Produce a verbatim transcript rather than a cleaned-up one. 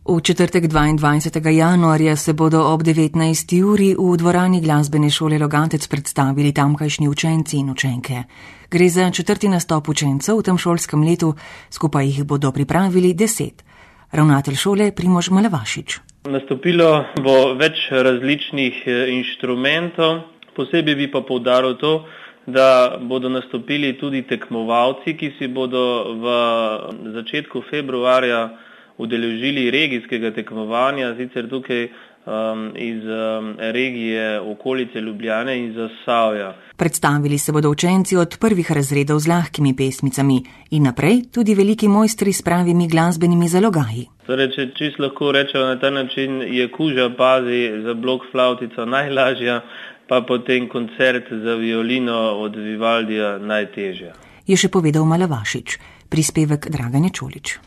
V četrtek dvaindvajsetega januarja se bodo ob devetnajsti uri v dvorani glasbene šole Logatec predstavili tamkajšnji učenci in učenke. Gre za četrti nastop učencev v tem šolskem letu, skupaj jih bodo pripravili deset. Ravnatelj šole Primož Malavašič. Nastopilo bo več različnih inštrumentov, posebej bi pa poudaril to, da bodo nastopili tudi tekmovalci, ki si bodo v začetku februarja udeležili regijskega tekmovanja, sicer tukaj um, iz um, regije okolice Ljubljane in Zasavja. Predstavili se bodo učenci od prvih razredov z lahkimi pesmicami in naprej tudi veliki mojstri s pravimi glasbenimi zalogaji. Torej, če čisto lahko rečemo na ta način, je kuža pazi za blok flavtica najlažja, pa potem koncert za violino od Vivaldija najtežja. Je še povedal Malavašič, prispevek Dragane Čolić.